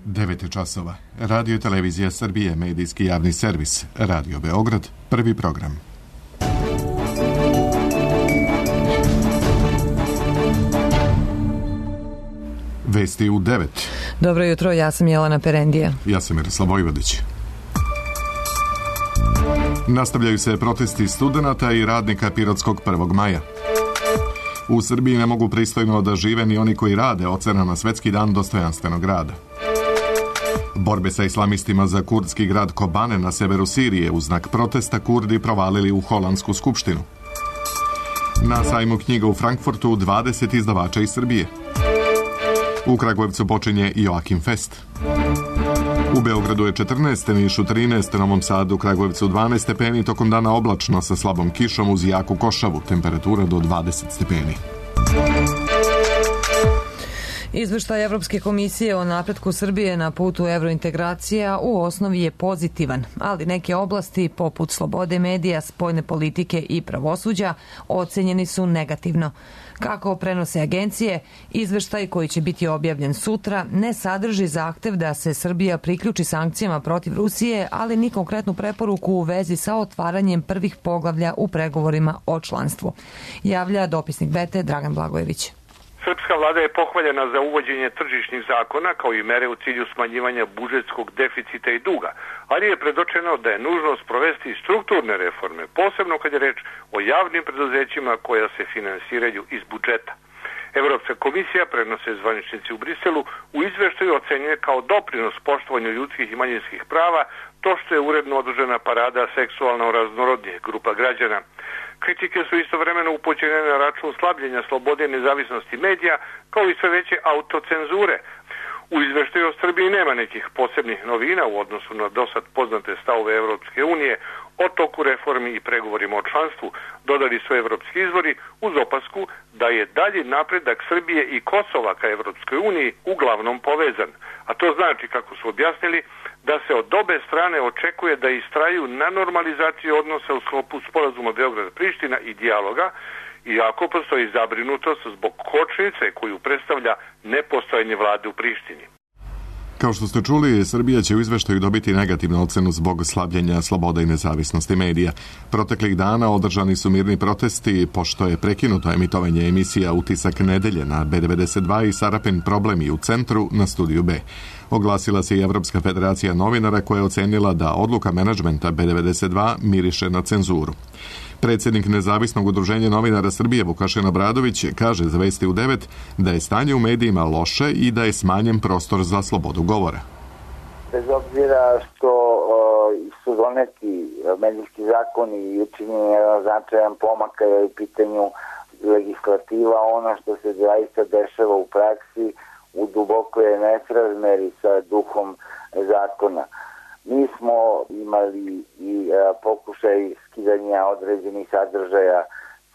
9 časova. Radio i televizija Srbije, medijski javni servis. Radio Beograd, prvi program. Vesti u 9. Dobro jutro, ja sam Jelena Perendija. Ja sam Miroslav Vojvodić. Nastavljaju se protesti studenata i radnika Pirotskog 1. maja. U Srbiji ne mogu pristojno da žive ni oni koji rade, ocena na Svetski dan dostojanstvenog rada. Borbe sa islamistima za kurdski grad Kobane na severu Sirije u znak protesta Kurdi provalili u Holandsku skupštinu. Na sajmu knjiga u Frankfurtu 20 izdavača iz Srbije. U Kragujevcu počinje Joakim Fest. U Beogradu je 14, Nišu 13, Novom Sadu, Kragujevcu 12 stepeni, tokom dana oblačno sa slabom kišom uz jaku košavu, temperatura do 20 stepeni. Izveštaj Evropske komisije o napretku Srbije na putu evrointegracija u osnovi je pozitivan, ali neke oblasti poput slobode medija, spoljne politike i pravosuđa ocenjeni su negativno. Kako prenose agencije, izveštaj koji će biti objavljen sutra ne sadrži zahtev da se Srbija priključi sankcijama protiv Rusije, ali ni konkretnu preporuku u vezi sa otvaranjem prvih poglavlja u pregovorima o članstvu. Javlja dopisnik Bete Dragan Blagojević. Srpska vlada je pohvaljena za uvođenje tržišnih zakona kao i mere u cilju smanjivanja budžetskog deficita i duga, ali je predočeno da je nužno sprovesti strukturne reforme, posebno kad je reč o javnim preduzećima koja se finansiraju iz budžeta. Evropska komisija, prenose zvaničnici u Briselu, u izveštaju ocenjuje kao doprinos poštovanju ljudskih i manjinskih prava to što je uredno održana parada seksualno raznorodnih grupa građana. Kritike su istovremeno upućene na račun slabljenja slobode i nezavisnosti medija, kao i sve veće autocenzure. U izveštaju o Srbiji nema nekih posebnih novina u odnosu na dosad poznate stavove Evropske unije o toku reformi i pregovorima o članstvu, dodali su evropski izvori uz opasku da je dalji napredak Srbije i Kosova ka Evropskoj uniji uglavnom povezan. A to znači, kako su objasnili, da se od obe strane očekuje da istraju na normalizaciju odnosa u sklopu sporazuma Beograd-Priština i dijaloga, iako postoji zabrinutost zbog kočnice koju predstavlja nepostojanje vlade u Prištini. Kao što ste čuli, Srbija će u izveštaju dobiti negativnu ocenu zbog slabljenja slobode i nezavisnosti medija. Proteklih dana održani su mirni protesti, pošto je prekinuto emitovanje emisija Utisak nedelje na B92 i Sarapin problemi u centru na Studiju B. Oglasila se i Evropska federacija novinara koja je ocenila da odluka menadžmenta B92 miriše na cenzuru. Predsjednik Nezavisnog udruženja novinara Srbije Vukašin Obradović kaže za Vesti u 9 da je stanje u medijima loše i da je smanjen prostor za slobodu govora. Bez obzira što su doneti medijski zakoni i učinjen jedan značajan pomak kada je u pitanju legislativa, ono što se zaista dešava u praksi u duboko je nesrazmeri sa duhom zakona. Mi smo imali i pokušaj skidanja određenih sadržaja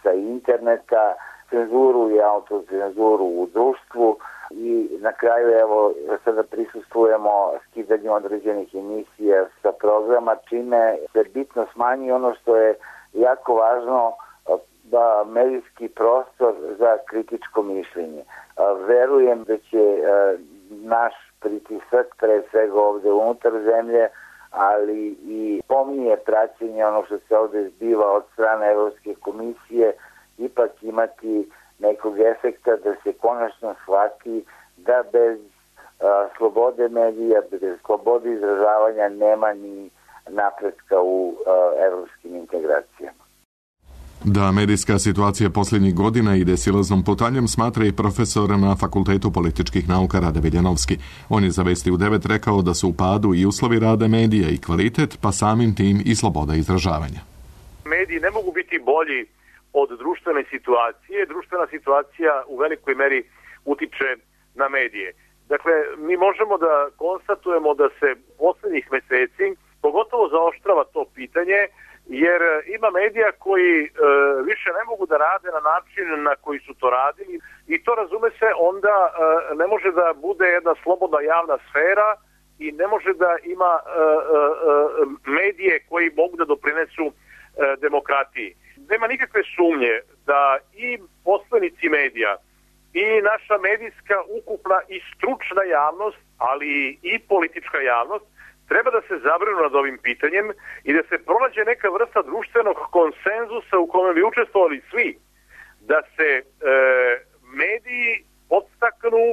sa interneta, cenzuru i autocenzuru u društvu i na kraju evo sada prisustvujemo skidanju određenih emisija sa programa, čime se bitno smanji ono što je jako važno, da medijski prostor za kritičko mišljenje. Verujem da će naš pritisak, pre svega ovde unutar zemlje, ali i pomnije praćenje ono što se ovde zbiva od strane Evropske komisije, ipak imati nekog efekta da se konačno shvati da bez slobode medija, bez slobode izražavanja nema ni napretka u evropskim integracijama. Da medijska situacija posljednjih godina ide silaznom putanjem smatra i profesor na Fakultetu političkih nauka Rade Viljanovski. On je za Vesti u 9 rekao da su u padu i uslovi rada medija i kvalitet, pa samim tim i sloboda izražavanja. Mediji ne mogu biti bolji od društvene situacije. Društvena situacija u velikoj meri utiče na medije. Dakle, mi možemo da konstatujemo da se poslednjih meseci pogotovo zaoštrava to pitanje, jer ima medija koji više ne mogu da rade na način na koji su to radili i to, razume se, onda ne može da bude jedna slobodna javna sfera i ne može da ima medije koji mogu da doprinesu demokratiji. Nema nikakve sumnje da i poslanici medija i naša medijska, ukupna i stručna javnost, ali i politička javnost, treba da se zabrinu nad ovim pitanjem i da se pronađe neka vrsta društvenog konsenzusa u kome bi učestvovali svi, da se mediji podstaknu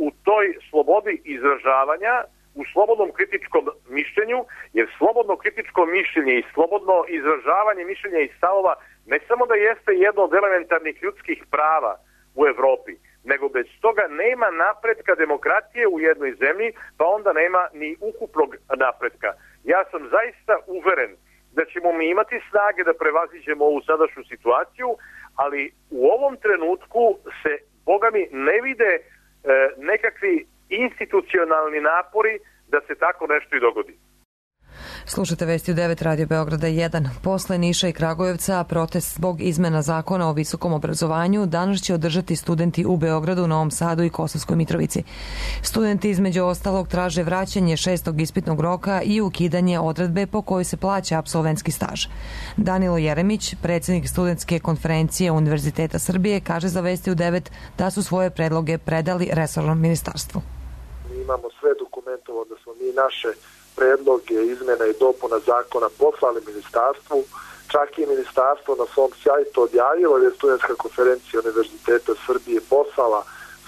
u toj slobodi izražavanja, u slobodnom kritičkom mišljenju, jer slobodno kritičko mišljenje i slobodno izražavanje mišljenja i stavova ne samo da jeste jedno od elementarnih ljudskih prava u Evropi, nego bez toga nema napretka demokratije u jednoj zemlji, pa onda nema ni ukupnog napretka. Ja sam zaista uveren da ćemo mi imati snage da prevaziđemo ovu sadašnju situaciju, ali u ovom trenutku se, boga mi, ne vide nekakvi institucionalni napori da se tako nešto i dogodi. Slušate Vesti u 9 Radio Beograda 1. Posle Niša i Kragujevca, protest zbog izmena zakona o visokom obrazovanju danas će održati studenti u Beogradu, Novom Sadu i Kosovskoj Mitrovici. Studenti između ostalog traže vraćanje 6. ispitnog roka i ukidanje odredbe po kojoj se plaća apsolventski staž. Danilo Jeremić, predsjednik studentske konferencije Univerziteta Srbije, kaže za Vesti u 9 da su svoje predloge predali resornom ministarstvu. Mi imamo sve dokumentovo da smo mi naše predloge izmena i dopuna zakona poslali ministarstvu, čak i ministarstvo na svom sajtu odjavilo da je studentska konferencija Univerziteta Srbije poslala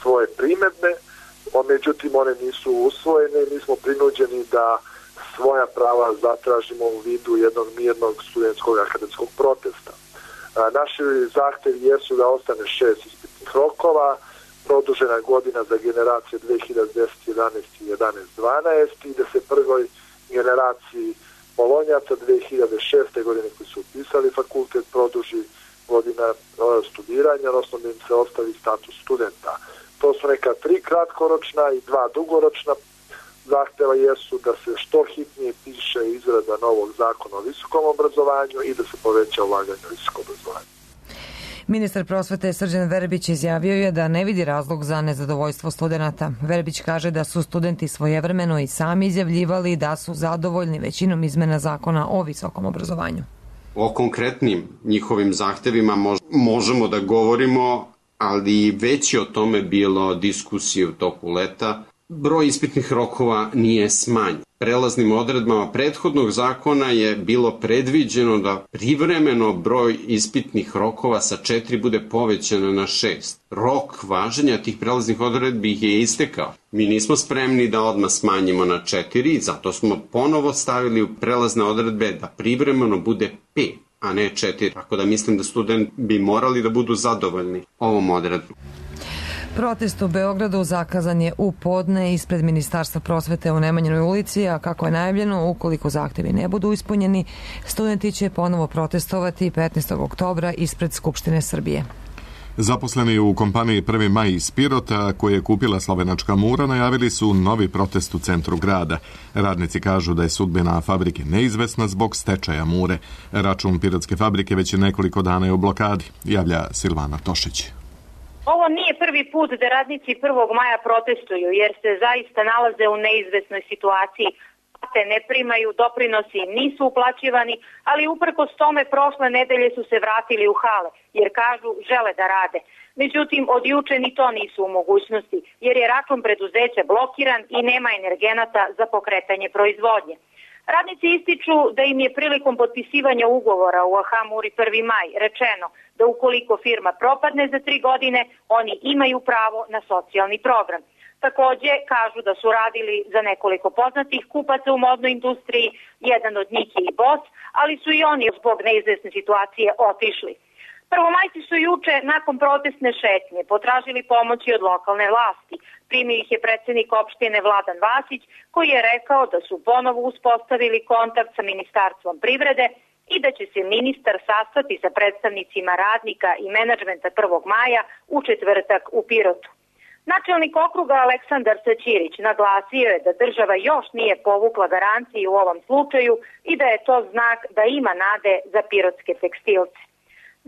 svoje primedbe, međutim one nisu usvojene i mi smo prinuđeni da svoja prava zatražimo u vidu jednog mirnog studentskog akademskog protesta. Naši zahtevi jesu da ostane 6 ispitnih rokova, produžena godina za generacije 2010, 11 i 11, 12 i da se prvoj generaciji bolonjaca 2006. godine koji su upisali fakultet produži godina studiranja, odnosno da im se ostavi status studenta. To su neka 3 kratkoročna i 2 dugoročna zahteva jesu da se što hitnije piše izrada novog zakona o visokom obrazovanju i da se poveća ulaganje u visoko obrazovanje. Ministar prosvete Srđan Verbić izjavio je da ne vidi razlog za nezadovoljstvo studenata. Verbić kaže da su studenti svojevremeno i sami izjavljivali da su zadovoljni većinom izmena zakona o visokom obrazovanju. O konkretnim njihovim zahtevima možemo da govorimo, ali već je o tome bilo diskusije u toku leta. Broj ispitnih rokova nije smanjen. Prelaznim odredbama prethodnog zakona je bilo predviđeno da privremeno broj ispitnih rokova sa 4 bude povećano na 6. Rok važenja tih prelaznih odredbi je istekao. Mi nismo spremni da odmah smanjimo na 4, zato smo ponovo stavili u prelazne odredbe da privremeno bude 5, a ne 4. Tako da mislim da studenti bi morali da budu zadovoljni ovom odredbom. Protest u Beogradu zakazan je u podne ispred Ministarstva prosvete u Nemanjinoj ulici, a kako je najavljeno, ukoliko zahtevi ne budu ispunjeni, studenti će ponovo protestovati 15. oktobra ispred Skupštine Srbije. Zaposleni u kompaniji 1. maj iz Pirota, koje je kupila slovenačka Mura, najavili su novi protest u centru grada. Radnici kažu da je sudbina fabrike neizvesna zbog stečaja Mure. Račun pirotske fabrike već je nekoliko dana je u blokadi, javlja Silvana Tošić. Ovo nije prvi put da radnici 1. maja protestuju jer se zaista nalaze u neizvesnoj situaciji. Plate ne primaju, doprinosi nisu uplaćivani, ali uprkos tome prošle nedelje su se vratili u hale jer kažu žele da rade. Međutim, od juče ni to nisu u mogućnosti jer je račun preduzeća blokiran i nema energenata za pokretanje proizvodnje. Radnici ističu da im je prilikom potpisivanja ugovora u AH Muri 1. maj rečeno da ukoliko firma propadne za 3 godine, oni imaju pravo na socijalni program. Takođe, kažu da su radili za nekoliko poznatih kupaca u modnoj industriji, jedan od njih je i bos, ali su i oni zbog neizvesne situacije otišli. Prvomajci su juče nakon protestne šetnje potražili pomoći od lokalne vlasti. Primio ih je predsjednik opštine Vladan Vasić, koji je rekao da su ponovo uspostavili kontakt sa Ministarstvom privrede i da će se ministar sastati sa predstavnicima radnika i menadžmenta 1. maja u četvrtak u Pirotu. Načelnik okruga Aleksandar Saćirić naglasio je da država još nije povukla garanciju u ovom slučaju i da je to znak da ima nade za pirotske tekstilce.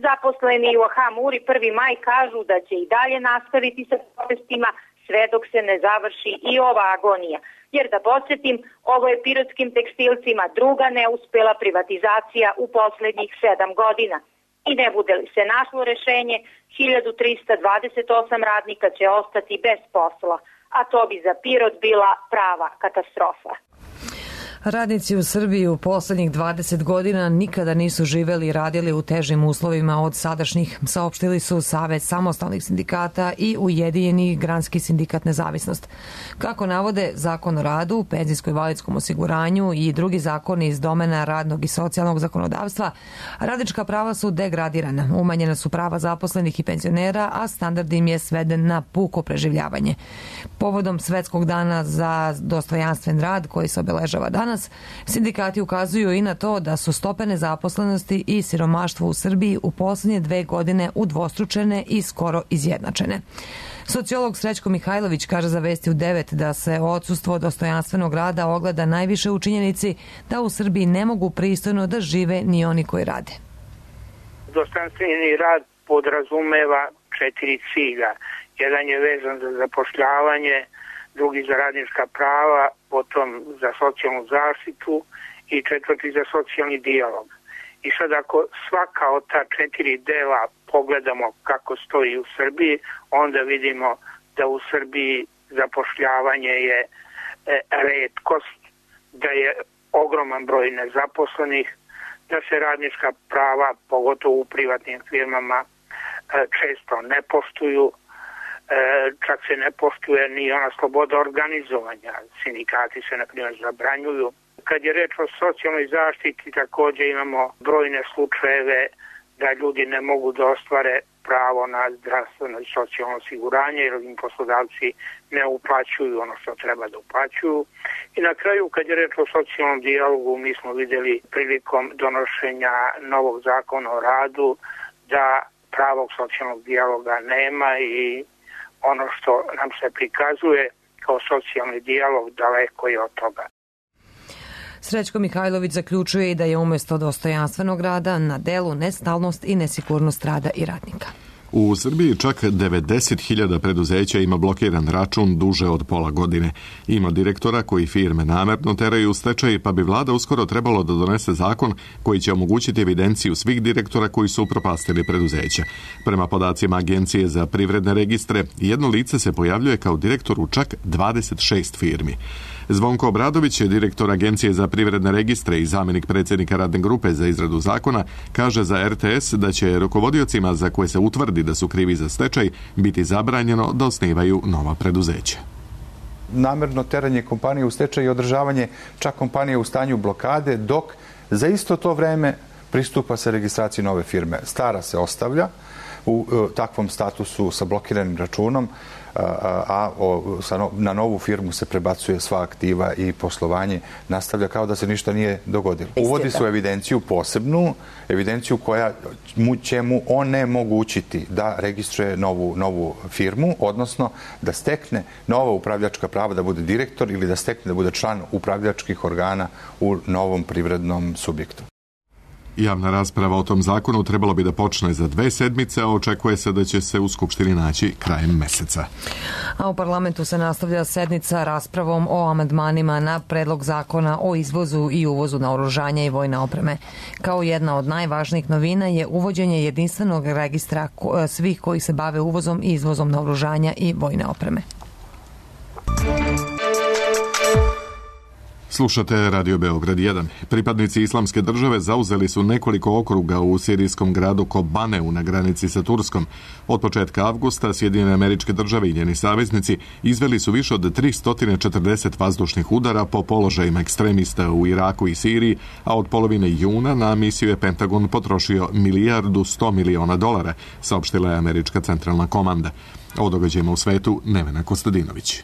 Zaposleni u AH Muri 1. maj kažu da će i dalje nastaviti sa protestima sve dok se ne završi i ova agonija. Jer da podsjetim, ovo je pirotskim tekstilcima druga neuspela privatizacija u poslednjih 7 godina. I ne bude li se našlo rešenje, 1328 radnika će ostati bez posla, a to bi za Pirot bila prava katastrofa. Radnici u Srbiji u poslednjih 20 godina nikada nisu živeli i radili u težim uslovima od sadašnjih, saopštili su Savet samostalnih sindikata i Ujedinjeni granski sindikat Nezavisnost. Kako navode Zakon o radu, penzijsko-invalidskom osiguranju i drugi zakoni iz domena radnog i socijalnog zakonodavstva, radnička prava su degradirana, umanjena su prava zaposlenih i penzionera, a standard im je sveden na puko preživljavanje. Povodom Svetskog dana za dostojanstven rad koji se obeležava danas, sindikati ukazuju i na to da su stope nezaposlenosti i siromaštva u Srbiji u poslednje 2 godine udvostručene i skoro izjednačene. Sociolog Srećko Mihajlović kaže za Vesti u 9 da se odsustvo dostojanstvenog rada ogleda najviše u činjenici da u Srbiji ne mogu pristojno da žive ni oni koji rade. Dostojanstveni rad podrazumeva 4 cilja. Jedan je vezan za zapošljavanje, drugi za radnička prava, potom za socijalnu zaštitu i četvrti za socijalni dijalog. I sad ako svaka od ta 4 dela pogledamo kako stoji u Srbiji, onda vidimo da u Srbiji zapošljavanje je retkost, da je ogroman broj nezaposlenih, da se radnička prava, pogotovo u privatnim firmama, često ne poštuju. Čak se ne poštuje ni ona sloboda organizovanja. Sindikati se, na primjer, zabranjuju. Kad je reč o socijalnoj zaštiti, također imamo brojne slučajeve da ljudi ne mogu da ostvare pravo na zdravstveno i socijalno osiguranje jer im poslodavci ne uplaćuju ono što treba da uplaćuju. I na kraju, kad je reč o socijalnom dijalogu, mi smo vidjeli prilikom donošenja novog zakona o radu da pravog socijalnog dijaloga nema i ono što nam se prikazuje kao socijalni dijalog daleko je od toga. Srećko Mihajlović zaključuje i da je umjesto dostojanstvenog rada na delu nestalnost i nesigurnost rada i radnika. U Srbiji čak 90.000 preduzeća ima blokiran račun duže od pola godine. Ima direktora koji firme namerno teraju u stečaj, pa bi vlada uskoro trebalo da donese zakon koji će omogućiti evidenciju svih direktora koji su upropastili preduzeća. Prema podacima Agencije za privredne registre, jedno lice se pojavljuje kao direktor u čak 26 firmi. Zvonko Obradović, direktor Agencije za privredne registre i zamjenik predsjednika radne grupe za izradu zakona, kaže za RTS da će rukovodiocima za koje se utvrdi da su krivi za stečaj biti zabranjeno da osnivaju nova preduzeća. Namerno teranje kompanije u stečaj i održavanje čak kompanije u stanju blokade, dok za isto to vreme pristupa se registraciji nove firme. Stara se ostavlja u takvom statusu sa blokiranim računom, a na novu firmu se prebacuje sva aktiva i poslovanje nastavlja kao da se ništa nije dogodilo. Uvodi su evidenciju posebnu, evidenciju koja će mu onemogućiti da registruje novu firmu, odnosno da stekne nova upravljačka prava da bude direktor ili da stekne da bude član upravljačkih organa u novom privrednom subjektu. Javna rasprava o tom zakonu trebalo bi da počne za 2 sedmice, a očekuje se da će se u Skupštini naći krajem meseca. A u parlamentu se nastavlja sednica raspravom o amandmanima na predlog zakona o izvozu i uvozu naoružanja i vojne opreme. Kao jedna od najvažnijih novina je uvođenje jedinstvenog registra svih koji se bave uvozom i izvozom naoružanja i vojne opreme. Slušate Radio Beograd 1. Pripadnici Islamske države zauzeli su nekoliko okruga u sirijskom gradu Kobaneu na granici sa Turskom. Od početka avgusta Sjedinjene Američke Države i njeni saveznici izveli su više od 340 vazdušnih udara po položajima ekstremista u Iraku i Siriji, a od polovine juna na misiju je Pentagon potrošio $1.1 milijardi, saopštila je Američka centralna komanda. O događajima u svetu Nevena Kostadinović.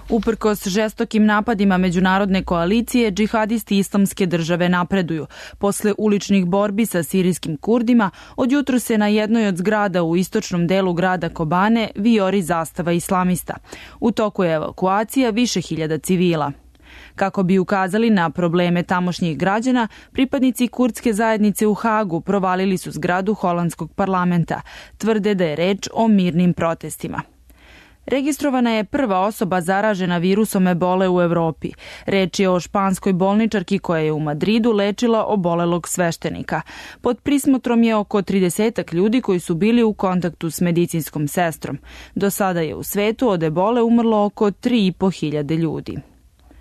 Uprkos žestokim napadima međunarodne koalicije, džihadisti Islamske države napreduju. Posle uličnih borbi sa sirijskim Kurdima, od jutru se na jednoj od zgrada u istočnom delu grada Kobane vijori zastava islamista. U toku je evakuacija više hiljada civila. Kako bi ukazali na probleme tamošnjih građana, pripadnici kurdske zajednice u Hagu provalili su zgradu holandskog parlamenta. Tvrde da je reč o mirnim protestima. Registrovana je prva osoba zaražena virusom ebole u Evropi. Reč je o španskoj bolničarki koja je u Madridu lečila obolelog sveštenika. Pod prismotrom je oko 30 ljudi koji su bili u kontaktu s medicinskom sestrom. Do sada je u svetu od ebole umrlo oko 3.500 ljudi.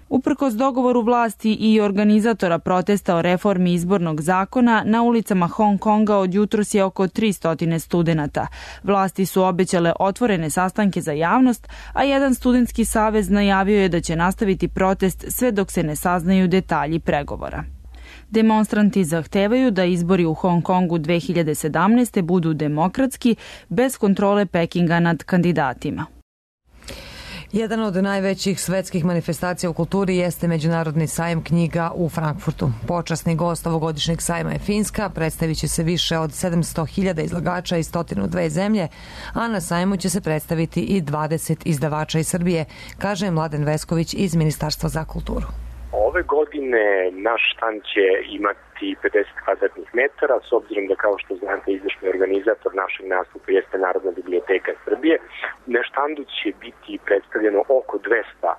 Uprkos dogovoru vlasti i organizatora protesta o reformi izbornog zakona, na ulicama Hong Konga od jutros je oko 300 studenata. Vlasti su obećale otvorene sastanke za javnost, a jedan studentski savez najavio je da će nastaviti protest sve dok se ne saznaju detalji pregovora. Demonstranti zahtevaju da izbori u Hong Kongu 2017. budu demokratski, bez kontrole Pekinga nad kandidatima. Jedan od najvećih svetskih manifestacija u kulturi jeste Međunarodni sajam knjiga u Frankfurtu. Počasni gost ovogodišnjeg sajma je Finska, predstavit će se više od 700.000 izlagača iz 102 zemlje, a na sajmu će se predstaviti i 20 izdavača iz Srbije, kaže Mladen Vesković iz Ministarstva za kulturu. Ove godine naš štand će imati 50 kvadratnih metara, s obzirom da, kao što znate, izvršni organizator našeg nastupa jeste Narodna biblioteka Srbije. Na štandu će biti predstavljeno oko 200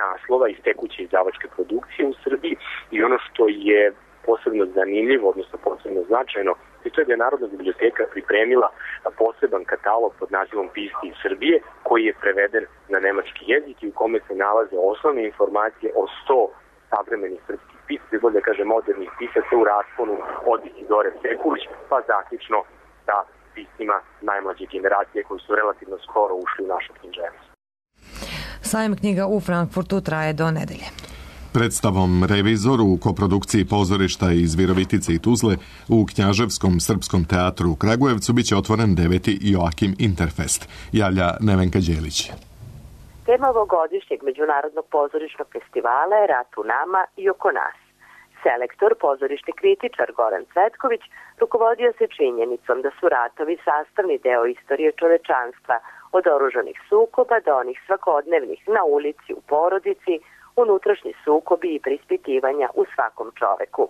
naslova iz tekuće izdavačke produkcije u Srbiji i ono što je posebno zanimljivo, odnosno posebno značajno, to je da je Narodna biblioteka pripremila poseban katalog pod nazivom Pisci iz Srbije, koji je preveden na nemački jezik i u kome se nalaze osnovne informacije o 100 savremenih srpskih pisaca, bolje da kaže modernih pisaca u rasponu od Isidore Sekulić, pa zaključno sa piscima najmlađe generacije koji su relativno skoro ušli u našu književnost. Sajam knjiga u Frankfurtu traje do nedelje. Predstavom Revizor u koprodukciji pozorišta iz Virovitice i Tuzle u Knjaževskom srpskom teatru u Kragujevcu biće otvoren 9. Joakim Interfest, javlja Nevenka Đelić. Tema ovogodišnjeg Međunarodnog pozorišnog festivala je Rat u nama i oko nas. Selektor, pozorišni kritičar Goran Cvetković rukovodio se činjenicom da su ratovi sastavni deo istorije čovečanstva, od oružanih sukoba do onih svakodnevnih na ulici, u porodici, unutrašnji sukobi i prispitivanja u svakom čoveku.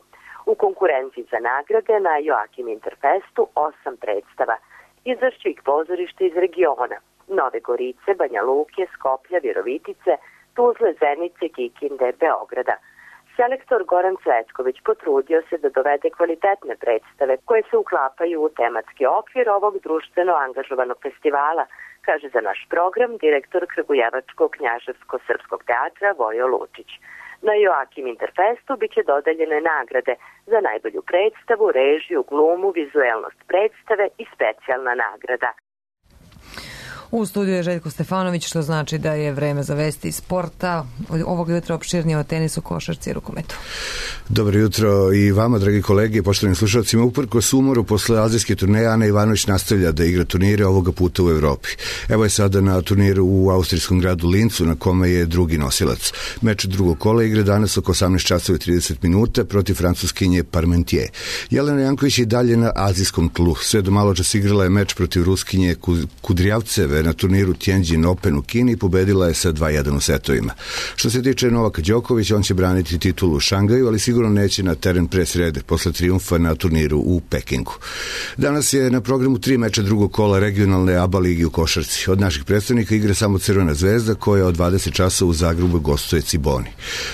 U konkurenciji za nagrade na Joakim Interfestu 8 predstava, izvršću ih pozorište iz regiona: Nove Gorice, Banja Luke, Skoplja, Virovitice, Tuzle, Zenice, Kikinde, Beograda. Selektor Goran Cvetković potrudio se da dovede kvalitetne predstave koje se uklapaju u tematski okvir ovog društveno angažovanog festivala, kaže za naš program direktor Kragujevačkog knjaževsko-srpskog teatra Vojo Lučić. Na Joakim Interfestu biće dodeljene nagrade za najbolju predstavu, režiju, glumu, vizuelnost predstave i specijalna nagrada. U studiju je Željko Stefanović, što znači da je vreme za vesti iz sporta. Ovog jutra opširnije o tenisu, košarci i rukometu. Dobro jutro i vama, dragi kolege, poštovani slušalcima. Uprkos umoru posle azijske turneje, Ana Ivanović nastavlja da igra turnire, ovoga puta u Evropi. Evo je sada na turniru u austrijskom gradu Lincu, na kome je drugi nosilac. Meč drugog kola igre danas oko 18:30 protiv francuskinje Parmentier. Jelena Janković je dalje na azijskom tlu. Sve do maločas igrala je meč protiv ruskinje Kudrijavceve na turniru Tianjin Open u Kini i pobedila je sa 2:1 u setovima. Što se tiče Novaka Đokovića, on će braniti titulu u Šangaju, ali sigurno neće na teren pre srede, posle trijumfa na turniru u Pekingu. Danas je na programu 3 meča drugog kola regionalne ABA ligi u košarci. Od naših predstavnika igra samo Crvena zvezda, koja od 20 časova u Zagrebu gostuje Ciboni.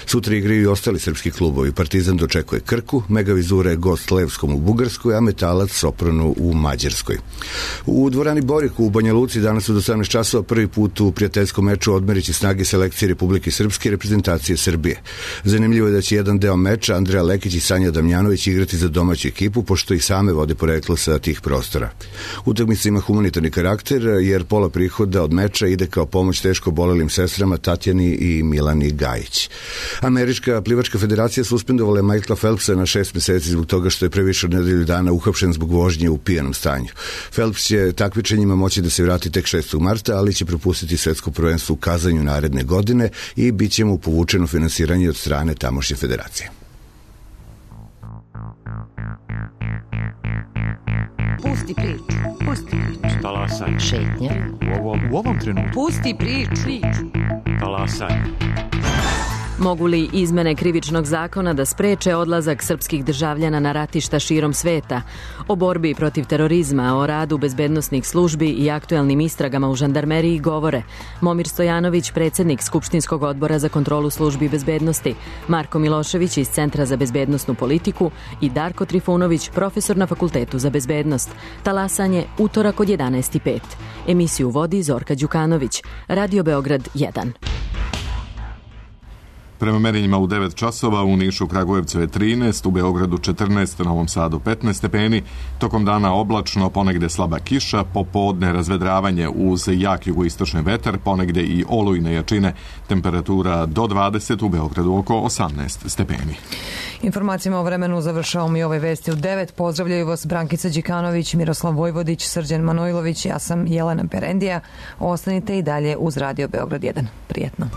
Sutra igraju i ostali srpski klubovi. Partizan dočekuje Krku, Mega Vizura je gost Levskom u Bugarskoj, a Metalac Sopronu u Mađarskoj. U dvorani Boriku u Banja Luci danas od 18 časova prvi put u prijateljskom meču odmeriće snage selekcije Republike Srpske i reprezentacije Srbije. Zanimljivo je da će jedan deo meča Andreja Lekić i Sanja Damjanović igrati za domaću ekipu, pošto i same vode poreklo sa tih prostora. Utakmica ima humanitarni karakter, jer pola prihoda od meča ide kao pomoć teško obolelim sestrama Tatjani i Milani Gajić. Američka plivačka federacija suspendovala je Michaela Phelpsa na 6 meseci zbog toga što je pre više od nedelju dana uhapšen zbog vožnje u pijanom stanju. Phelps će takmičenjima moći da se vrati tek 6. marta, ali će propustiti svetsko prvenstvo u Kazanju naredne godine i bit će mu povučeno finansiranje od strane tamošnje federacije. Pusti priču. Pusti priču. Talasaj. Šetnja. U ovom trenutku. Pusti priču. Talasaj. Mogu li izmene krivičnog zakona da spreče odlazak srpskih državljana na ratišta širom sveta? O borbi protiv terorizma, o radu bezbednosnih službi i aktuelnim istragama u žandarmeriji govore Momir Stojanović, predsjednik Skupštinskog odbora za kontrolu službi bezbednosti, Marko Milošević iz Centra za bezbednosnu politiku i Darko Trifunović, profesor na Fakultetu za bezbednost. Talasanje utorak od 11:05. Emisiju vodi Zorka Đukanović. Radio Beograd 1. Prema merenjima u 9 časova u Nišu, Kragujevcu je 13, u Beogradu 14, u Novom Sadu 15 stepeni, tokom dana oblačno, ponegde slaba kiša, popodne razvedravanje uz jak jugoistočni vetar, ponegde i olujne jačine, temperatura do 20, u Beogradu oko 18 stepeni. Informacijama o vremenu završavamo i ove vesti u 9. Pozdravljaju vas Brankica Đikanović, Miroslav Vojvodić, Srđan Manojlović, ja sam Jelena Perendija. Ostanite i dalje uz Radio Beograd 1. Prijetno.